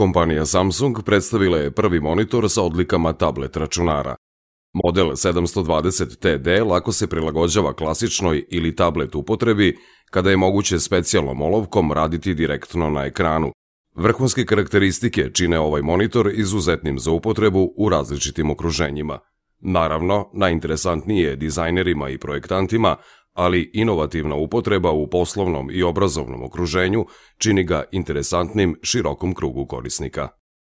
Kompanija Samsung predstavila je prvi monitor sa odlikama tablet računara. Model 720TD lako se prilagođava klasičnoj ili tablet upotrebi kada je moguće specijalnom olovkom raditi direktno na ekranu. Vrhunske karakteristike čine ovaj monitor izuzetnim za upotrebu u različitim okruženjima. Naravno, najinteresantnije je dizajnerima i projektantima, ali inovativna upotreba u poslovnom i obrazovnom okruženju čini ga interesantnim širokom krugu korisnika.